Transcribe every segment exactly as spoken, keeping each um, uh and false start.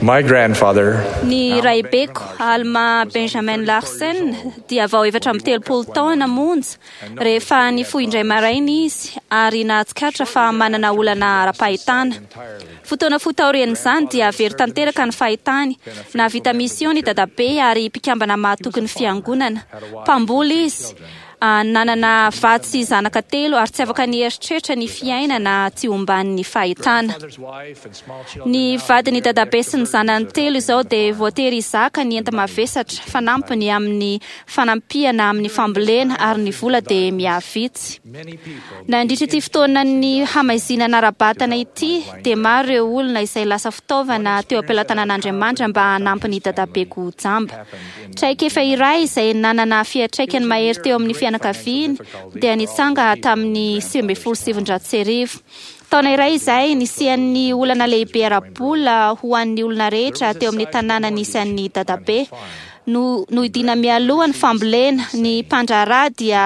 My grandfather, Ny raibeko Alma Benjamin Larsen dia vao efatra amby telopolo taona monja rehefa nifoha indray maraina izy ary nahatsikaritra fa manana olana ara-pahitana. Fotoana fohy taorian'izany dia very tanteraka ny fahitany. Nahavita mission i dadabe ary mpikambana mahatoky ny fiangonana. Mpamboly izy. Ah, nanana vady sy zanaka telo ary tsy afaka nieritreritra ny fiainana tsy omban'ny fahitana. Ny vadiny dadabe sy ny zanany telo izao dia voatery hizaka ny enta-mavesatra fanampiny amin'ny fanampiana amin'ny fambolena ary ny vola dia mihavitsy. Nandritra ity fotoanan'ny hamaizinana ara-batana ity dia maro ireo olona izay lasa fitaovana teo am-pelatanan'Andriamanitra mba hanampy ny dadabeko jamba. Traikefa iray izay nanana fiantraikany mahery teo amin'ny fianakaviany dia nitsanga tamin'ny sivy ambin'ny folo sy sivinjato sy arivo. Taona iray izay nisian'ny olana lehibe ara-bola ho an'ny olona rehetra teo amin'ny tanàna nisy an'ny dadabe. No nohidiana mialoha ny fambolena, ny mpandraharaha dia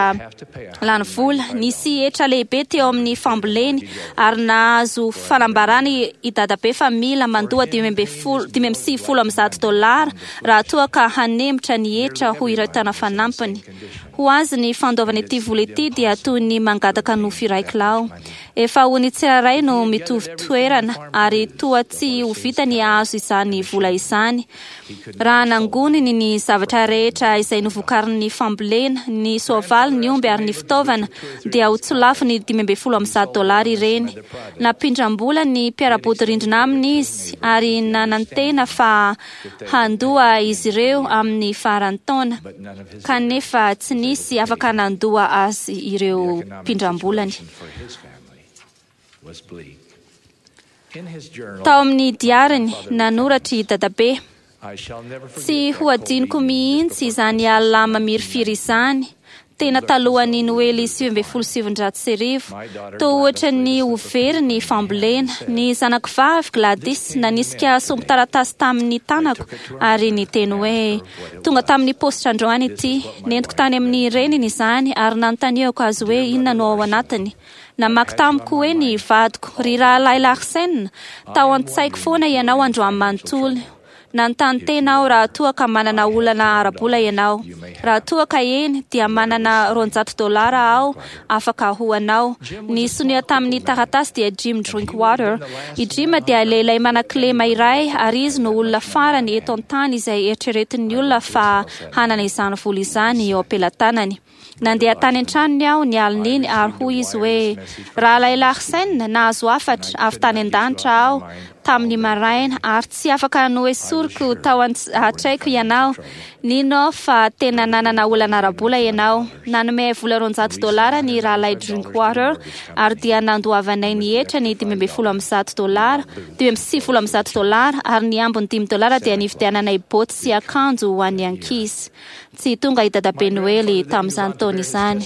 lany vola. Nisy hetra lehibe teo amin'ny famboleny ary nahazo fanambarana i dadabe fa mila mandoa dimy amby folo dimy amby sivifolo amby zato dolara raha toa ka hanemitra ny hetra ho iray taona fanampiny. Ho azy ny fandoavana ity vola ity dia toy ny mangataka nofo iray kilao. Efa ho ny tsirairay no mitovy toerana ary toa tsy ho vita ny hahazo izany vola izany. Raha nangoniny ny zavatra rehetra izay novokarin'ny fambolena, ny soavaly, ny omby ary ny fitaovana dia ho tsy lafo ny dimy ambin'ny folo amby zato dolara ireny. Nampindram-bola ny mpiara-bodirindrina aminy izy ary nanantena fa handoa izy ireo amin'ny faran'ny taona. Kanefa tsy nisy afaka nandoa azy ireo mpindram-bolany. Tao amin'ny diariny, nanoratra i dadabe: Tsy ho adinoko mihitsy izany alina mamirifiry izany, tena talohan'ny Noely sivy ambin'ny folo sy sivinjato sy arivo. Toa ohatra ny ho very ny fambolena. Ny zanako vavy Gladys nanisika sombin-taratasy tamin'ny tanako ary niteny hoe: Tonga tamin'ny paositra androany ity. Nentiko tany amin'ny reniny izany ary nanontaniako azy hoe inona no ao anatiny. Namaky tamiko hoe ny vadiko: Ry rahalahy Larsen, tao an-tsaiko foana ianao androany manontolo. Nanontany tena aho raha toa ka manana olana ara-bola ianao. Raha toa ka eny, dia manana roanjato dolara aho afaka ho anao. Ny sonia tamin'ny taratasy dia Jim Drinkwater. I Jim dia lehilahy manan-kilema iray ary izy no olona farany eto an-tany izay eritreretin'ny olona fa hanana izany vola izany eo am-pelatanany. Nandeha tany an-tranony aho ny alin'iny ary hoy izy hoe: Rahalahy Larsen, nahazo hafatra avy tany an-danitra aho tamin'ny maraina ary tsy afaka noesoriko tao an-tsaiko ianao. Nino aho fa tena nanana olana ara-bola ianao. Nanome vola roanjato dolara ny rahalahy Drinkwater ary dia nandoavanay ny hetra ny dimy ambin'ny folo amby zato dolara, dimy amby sivifolo amby zato dolara ary ny ambiny dimy dolara dia nividiananay boty sy akanjo ho an'ny ankizy. Tsy tonga i dadabe Noely tamin'izany taona izany.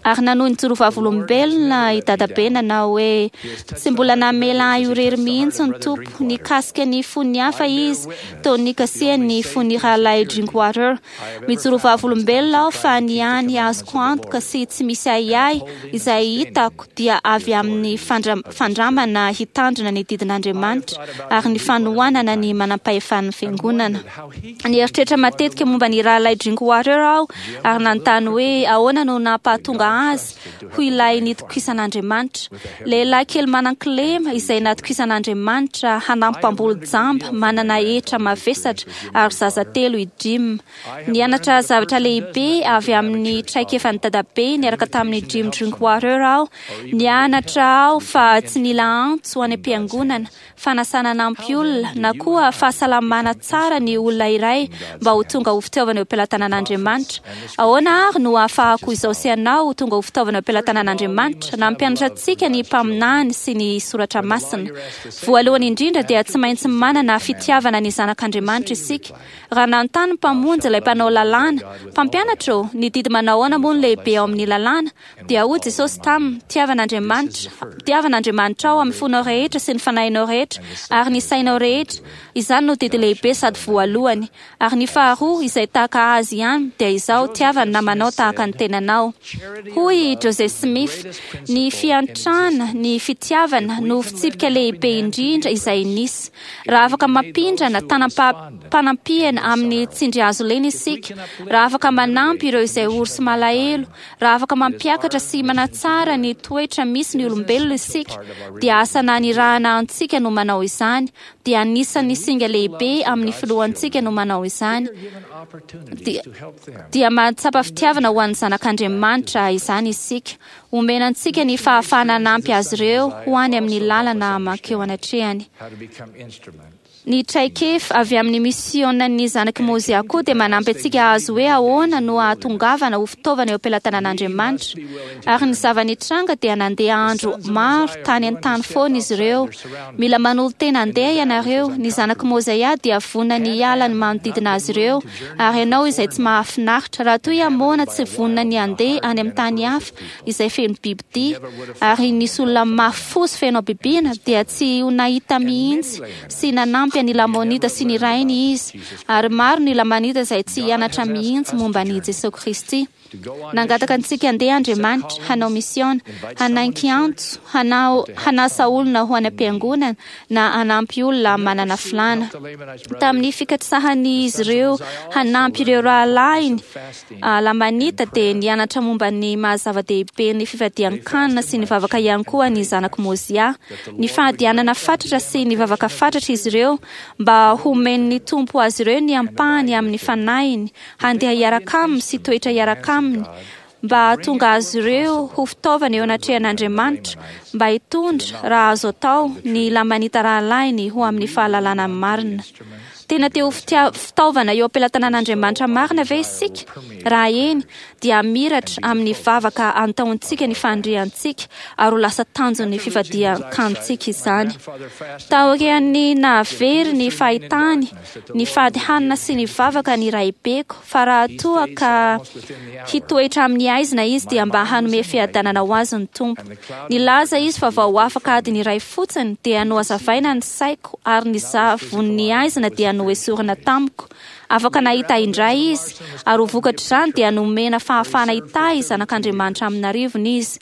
Ary nanohy nijoro vavolombelona i dadabe nanao hoe: Tsy mbola namela ahy ho irery mihitsy ny Tompo. Nikasika ny fon'ny hafa izy toa nikasihany ny fon'ny rahalahy Drinkwater. Mijoro vavolombelona aho fa ny hany azoko antoka sy tsy misy ahiahy izay hitako dia avy amin'ny fandra- fandramana hitandrina ny didin'Andriamanitra ary ny fanohanana ny manam-pahefan'ny fiangonana. Nieritreritra matetika momba ny rahalahy Drinkwater aho ary nanontany hoe ahoana no nampahatonga azy ho ilay nitokisan'Andriamanitra. Lehilahy kely manan-kilema izay natokisan'Andriamanitra hanampy mpamboly jamba manana hetra mavesatra ary zaza telo i Jim. Nianatra zavatra lehibe avy amin'ny traikefan'ny dadabe niaraka tamin'ny Jim Drinkwater aho. Nianatra aho fa tsy nila antso any am-piangonana, fanasana hanampy olona, na koa fahasalamana tsara ny olona iray mba ho tonga ho fitaovana eo am-pelatanan'Andriamanitra. Ahoana ary no ahafahako izao sy ianao ho tonga ho fitaovana eo am-pelatanan'Andriamanitra? Nampianatra antsika ny mpaminany sy ny soratra masina. Voalohany indrindra dia tsy maintsy manana fitiavana ny zanak'Andriamanitra isika. Raha nanontany ny Mpamonjy ilay mpanao lalàna: Mpampianatra ô, ny didy manao ahoana moa no lehibe ao amin'ny lalàna? Dia hoy Jesosy taminy: Tiava an'Andriamanitra, tiava an'Andriamanitrao amin'ny fonao rehetra sy ny fanahinao rehetra ary ny sainao rehetra. Izany no didy lehibe sady voalohany. Ary ny faharoa, izay tahaka azy ihany, dia izao: tiava ny namanao tahaka ny tenanao. Hoy i Joseph Smith: Ny fiantrana, ny fitiavana no fitsipika lehibe indrindra izay nisy. Raha afaka mampindrana tanam-panampiana amin'ny tsindry hazo lena isika, raha afaka manampy ireo izay ory sy malahelo, raha afaka mampiakatra sy manatsara ny toetra misy ny olombelona isika, dia asa nanirahana antsika no manao izany, dia anisan'ny singa lehibe amin'ny filohantsika no manao izany. Dia, dia mahatsapa fitiavana ho an'ny zanak'Andriamanitra izany isika. Omena antsika ny fahafahana hanampy azy ireo ho any amin'ny lalana mankeo anatrehany. Ny traikefa avy amin'ny misionan'ny zanak'i Mozia koa dia manampy antsika hahazo hoe ahoana no hahatongavana ho fitaovana eo am-pelatanan'Andriamanitra. Ary ny zava-nitranga dia nandeha andro maro tany an-tany foana izy ireo. Mila manolo-tena handeha ianareo. Ny zanak'i Mozia dia vonona ny hiala ny manodidina azy ireo, ary ianao izay tsy mahafinaritra. Raha toa i Amôna tsy vonona ny handeha any amin'ny tany hafa izay feno bibidia, ary nisy olona mafy fo sy feno habibiana, dia tsy ho nahita mihitsy sy nanampy an'i Lamonita sy ny rainy izy. Ary maro ny Lamanita izay tsy hianatra mihitsy momba an'i Jesosy Kristy. Nangataka antsika handeha Andriamanitra, hanao misiona, hanaiky antso, hanao, hanasa olona ho any am-piangonana, na hanampy olona manana filàna. Tamin'ny fikatsahan'izy ireo hanampy ireo rahalahiny Lamanita, dia nianatra momba ny maha-zava-dehibe ny fifadian-kanina sy ny vavaka ihany koa ny zanak'i Mozia. Ny fahadianana fatratra sy ny vavaka fatratra izy ireo mba homen'ny Tompo azy ireo ny ampahany amin'ny fanahiny, handeha hiaraka aminy sy toetra hiaraka aminy, mba hahatonga azy ireo ho fitaovana eo anatrehan'Andriamanitra, mba hitondra, raha azo atao, ny Lamanita rahalahiny ho amin'ny fahalalana marina. Tena te ho fitaovana eo am-pelatanan'Andriamanitra marina ve isika? Raha eny, dia hamiratra amin'ny vavaka antaontsika ny faniriantsika, ary ho lasa tanjon'ny fifadian-kanintsika izany. Taorian'ny nahavery ny fahitany, nifady hanina sy nivavaka ny raibeko, fa raha toa ka hitoetra amin'ny haizina izy, dia mba hanome fiadanana ho azy ny Tompo. Nilaza izy fa vao afaka adiny iray fotsiny, dia nohazavaina ny saiko, ary ny zavon'ny haizina dia noesorina tamiko. Afaka nahita indray izy, ary ho vokatr'izany dia nomena fahafahana hitahy zanak'Andriamanitra amin'arivony izy.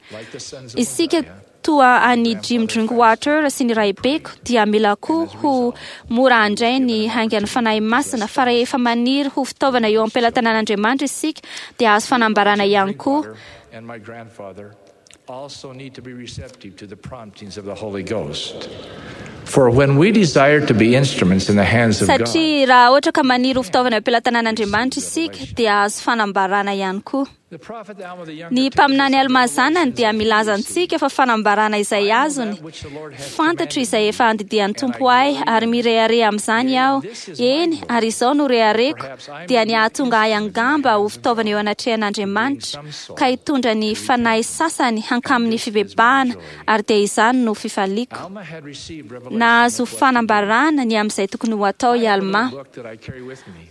Isika toa an'i Jim Drinkwater sy ny raibeko dia mila koa ho mora handray ny haingan'ny Fanahy Masina, fa rehefa maniry ho fitaovana eo am-pelatanan'Andriamanitra isika, dia azo fanambarana ihany koa. Also need to be receptive to the promptings of the Holy Ghost. For when we desire to be instruments in the hands of God, Satria raha ohatra ka maniry ho fitaovana eo am-pelatanan'Andriamanitra isika, dia azo fanambarana ihany koa. Ny mpaminany Almà zanany dia milaza antsika fa fanambarana izay azony, fantatro izay efa andidian'ny Tompo ahy, ary mirehareha amin'izany aho. Eny, ary izao no rehareko, dia ny hahatonga ahy angamba ho fitaovana eo anatrehan'Andriamanitra, ka hitondra ny fanahy sasany hankamin'ny fibebahana, ary dia izany no fifaliako. Nahazo fanambarana ny amin'izay tokony ho atao i Almà.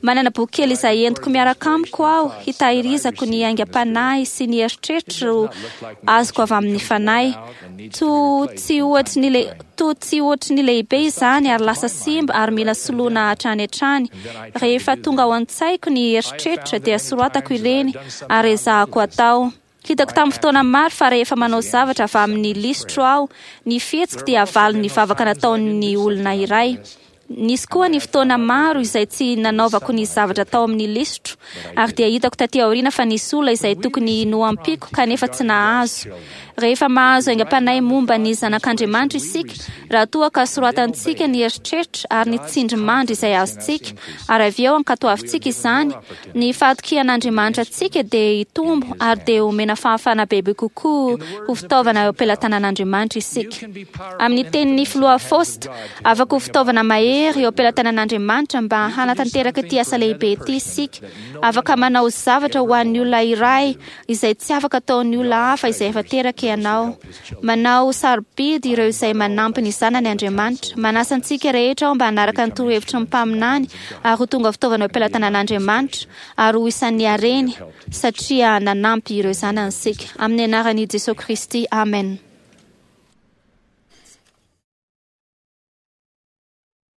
Manana boky kely izay entiko miaraka amiko aho, hitahirizako ny aingam-panahy sy ny eritreritro azoko avy amin'ny fanahy. Toa tsy ohatry ny le, toa tsy ohatry ny lehibe izany, ary lasa simba ary mila soloina hatrany hatrany. Rehefa tonga ao an-tsaiko ny eritreritra, dia soratako ireny ary ezahako atao. Hitako tamin'ny fotoana maro fa rehefa manao zavatra avy amin'ny lisitro aho, ny fihetsiko dia valin'ny vavaka nataon'ny olona iray. Nisy koa ny fotoana maro izay tsy nanaovako ny zavatra tao amin'ny lisitro, ary dia hitako taty aoriana fa nisy olona izay tokony noampiko kanefa tsy nahazo. Rehefa mahazo aingam-panahy momba ny zanak'Andriamanitra isika, raha toa ka soratantsika ny eritreritra ary ny tsindrimandry izay azontsika, ary avy eo ankatoavintsika izany, ny fahatokian'Andriamanitra antsika dia hitombo ary dia omena fahafahana bebe kokoa ho fitaovana eo am-pelatanan'Andriamanitra isika. Amin'ny tenin'ny filoha Faust, afaka ho fitaovana mahery eo am-pelatanan'Andriamanitra mba hanatanteraka ity asa lehibe ity isika. Afaka manao zavatra ho an'ny olona iray izay tsy afaka ataon'ny olona hafa izay efa teraka ianao. Manao sarobidy ireo izay manampy ny zanany Andriamanitra. Manasa antsika rehetra aho mba hanaraka ny torohevitry ny mpaminany ary ho tonga fitaovana eo am-pelatanan'Andriamanitra ary ho isan'ny hareny satria nanampy ireo zanany isika. Amin'ny anaran'i Jesosy Kristy, amen.